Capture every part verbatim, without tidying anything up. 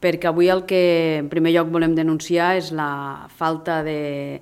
perquè avui el que en primer lloc volem denunciar és la falta de,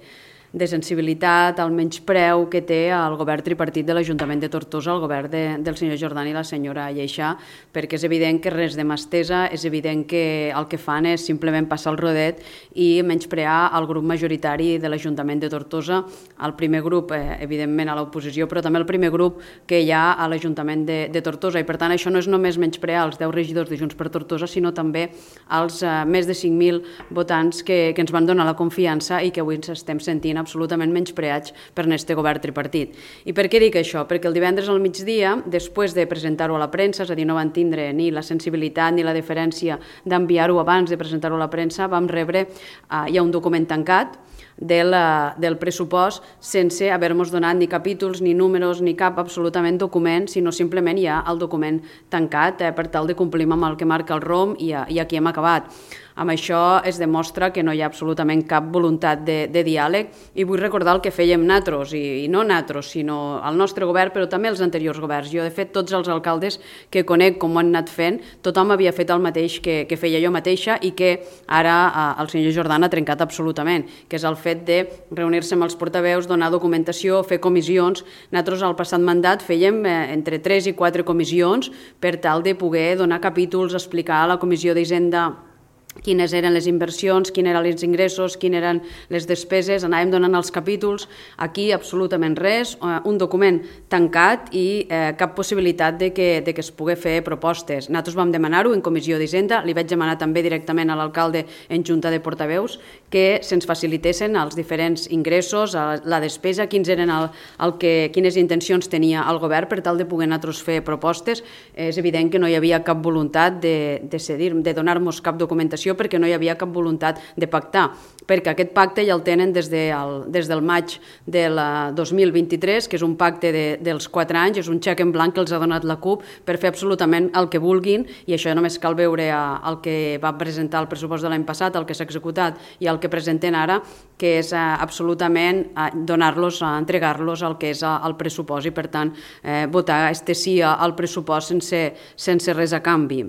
de sensibilitat, el menyspreu que té el govern tripartit de l'Ajuntament de Tortosa, el govern de, del senyor Jordan i la senyora Lleixà, perquè és evident que res de mà estesa, és evident que el que fan és simplement passar el rodet i menysprear el grup majoritari de l'Ajuntament de Tortosa, el primer grup, eh, evidentment, a l'oposició, però també el primer grup que hi ha a l'Ajuntament de, de Tortosa. I, per tant, això no és només menysprear els deu regidors de Junts per Tortosa, sinó també als eh, més de cinc mil votants que, que ens van donar la confiança i que avui ens estem sentint absolutament menyspreats per este govern tripartit. I per què dic això? Perquè el divendres al migdia, després de presentar-ho a la premsa, és a dir, no van tindre ni la sensibilitat ni la deferència d'enviar-ho abans de presentar-ho a la premsa, vam rebre, eh, hi ha un document tancat, Del, del pressupost sense haver-nos donat ni capítols, ni números, ni cap absolutament document, sinó simplement hi ha el document tancat eh, per tal de complir amb el que marca el R O M i, i aquí hem acabat. Amb això es demostra que no hi ha absolutament cap voluntat de, de diàleg i vull recordar el que fèiem natros, i, i no natros, sinó el nostre govern, però també els anteriors governs. Jo, de fet, tots els alcaldes que conec com ho han anat fent, tothom havia fet el mateix que, que feia jo mateixa i que ara eh, el senyor Jordan ha trencat absolutament, que és el fet de reunir-se amb els portaveus, donar documentació, fer comissions. Nosaltres al passat mandat fèiem eh, entre tres i quatre comissions per tal de poder donar capítols, explicar a la Comissió d'Hisenda quines eren les inversions, quins eren els ingressos, quines eren les despeses, anàvem donant els capítols, aquí absolutament res, un document tancat i eh, cap possibilitat de que, de que es pugui fer propostes. Nosaltres vam demanar-ho en Comissió d'Hisenda, li vaig demanar també directament a l'alcalde en Junta de Portaveus que se'ns facilitessin els diferents ingressos, la despesa, quins eren el, el que, quines intencions tenia el govern per tal de poder nosaltres fer propostes. És evident que no hi havia cap voluntat de, de cedir, de donar-nos cap documentació perquè no hi havia cap voluntat de pactar, perquè aquest pacte ja el tenen des, de el, des del maig del dos mil vint-i-tres, que és un pacte de, dels quatre anys, és un xec en blanc que els ha donat la CUP per fer absolutament el que vulguin, i això només cal veure el que va presentar el pressupost de l'any passat, el que s'ha executat i el que presenten ara, que és absolutament donar-los, entregar-los el que és el pressupost i, per tant, eh, votar este sí al pressupost sense, sense res a canvi.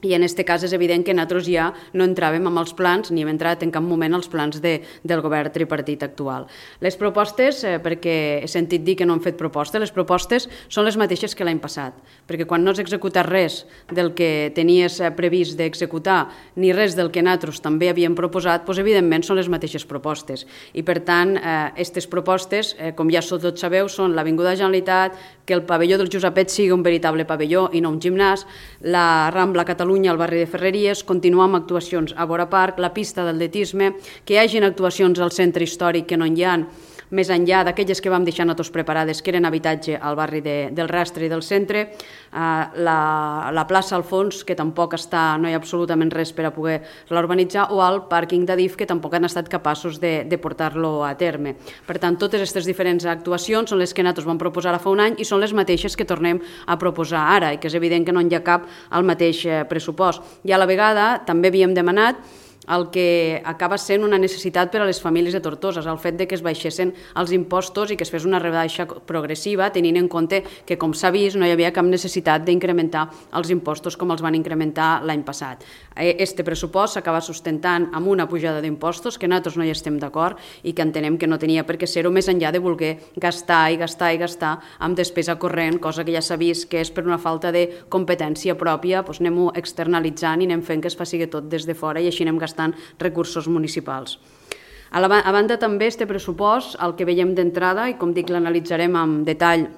I en aquest cas és evident que nosaltres ja no entràvem amb els plans, ni hem entrat en cap moment als plans de, del govern tripartit actual. Les propostes, eh, perquè he sentit dir que no han fet propostes, les propostes són les mateixes que l'any passat, perquè quan no has executat res del que tenies previst d'executar, ni res del que nosaltres també havíem proposat, doncs evidentment són les mateixes propostes. I per tant, aquestes eh, propostes, eh, com ja tots sabeu, són l'Avinguda Generalitat, que el pavelló del Josepet sigui un veritable pavelló i no un gimnàs, la Rambla Catalunya al barri de Ferreries, continuar amb actuacions a Vora Park, la pista d'atletisme, que hi hagin actuacions al centre històric que no hi ha, més enllà d'aquelles que vam deixar nosaltres preparades, que eren habitatge al barri de, del Rastre i del centre, eh, la, la plaça al fons, que tampoc està, no hi ha absolutament res per a poder-la urbanitzar, o el pàrquing d'Adif, que tampoc han estat capaços de, de portar-lo a terme. Per tant, totes aquestes diferents actuacions són les que nosaltres vam proposar fa un any i són les mateixes que tornem a proposar ara, i que és evident que no hi ha cap al mateix pressupost. I a la vegada també havíem demanat el que acaba sent una necessitat per a les famílies de Tortosa, el fet de que es baixessin els impostos i que es fes una rebaixa progressiva, tenint en compte que, com s'ha vist, no hi havia cap necessitat d'incrementar els impostos com els van incrementar l'any passat. Este pressupost s'acaba sustentant amb una pujada d'impostos que nosaltres no hi estem d'acord i que entenem que no tenia per què ser-ho, més enllà de voler gastar i gastar i gastar amb despesa corrent, cosa que ja s'ha vist que és per una falta de competència pròpia, doncs anem-ho externalitzant i anem fent que es faci tot des de fora i així anem gastant recursos municipals. A, la, a banda també este pressupost, el que veiem d'entrada, i com dic l'analitzarem amb detall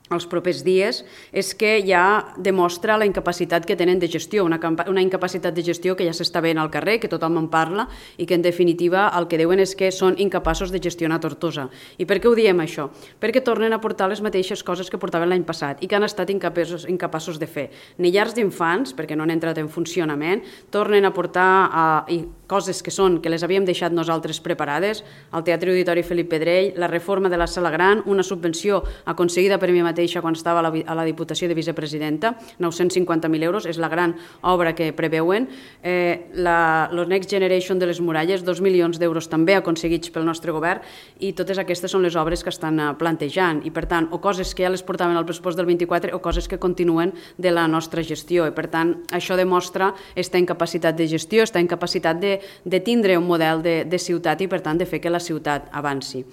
els propers dies, és que ja demostra la incapacitat que tenen de gestió, una, una incapacitat de gestió que ja s'està veient al carrer, que tothom en parla i que en definitiva el que diuen és que són incapaços de gestionar Tortosa. I per què ho diem això? Perquè tornen a portar les mateixes coses que portaven l'any passat i que han estat incapaços, incapaços de fer. Ni llars d'infants, perquè no han entrat en funcionament, tornen a portar eh, coses que són que les havíem deixat nosaltres preparades, el Teatre Auditori Felip Pedrell, la reforma de la Sala Gran, una subvenció aconseguida per mi mateix mateixa quan estava a la, a la Diputació de Vicepresidenta, nou-cents cinquanta mil euros, és la gran obra que preveuen. Eh, la, el Next Generation de les Muralles, dos milions d'euros també aconseguits pel nostre govern, i totes aquestes són les obres que estan plantejant, i per tant, o coses que ja les portaven al pressupost del vint-i-quatre o coses que continuen de la nostra gestió, i per tant, això demostra esta incapacitat de gestió, esta incapacitat de, de tindre un model de, de ciutat i per tant de fer que la ciutat avanci.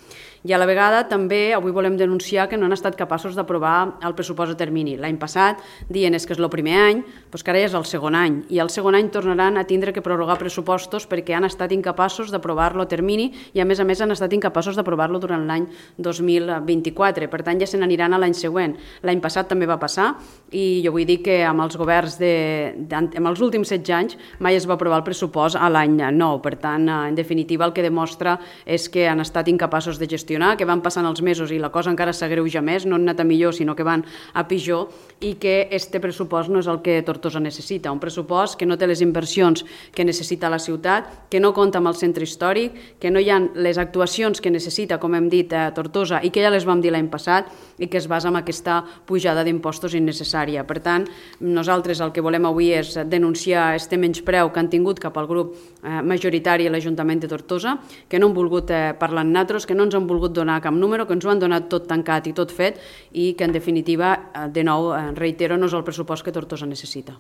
I a la vegada també avui volem denunciar que no han estat capaços d'aprovar el pressupost a termini. L'any passat dient és que és el primer any, doncs que ara ja és el segon any, i el segon any tornaran a tindre que prorrogar pressupostos perquè han estat incapaços d'aprovar-lo a termini i a més a més han estat incapaços d'aprovar-lo durant l'any dos mil vint-i-quatre. Per tant ja se n'aniran a l'any següent. L'any passat també va passar i jo vull dir que amb els governs de, de, amb els últims setze anys mai es va aprovar el pressupost a l'any nou. Per tant, en definitiva, el que demostra és que han estat incapaços de gestionar, que van passant els mesos i la cosa encara s'agreuja més, no han anat a millor, sinó que van a pitjor, i que este pressupost no és el que Tortosa necessita. Un pressupost que no té les inversions que necessita la ciutat, que no compta amb el centre històric, que no hi ha les actuacions que necessita, com hem dit, a Tortosa, i que ja les vam dir l'any passat, i que es basa en aquesta pujada d'impostos innecessària. Per tant, nosaltres el que volem avui és denunciar este menyspreu que han tingut cap al grup majoritari a l'Ajuntament de Tortosa, que no han volgut parlar amb nosaltres, que no ens han volgut donar cap número, que ens ho han donat tot tancat i tot fet i que, en definitiva, de nou, reitero, no és el pressupost que Tortosa necessita.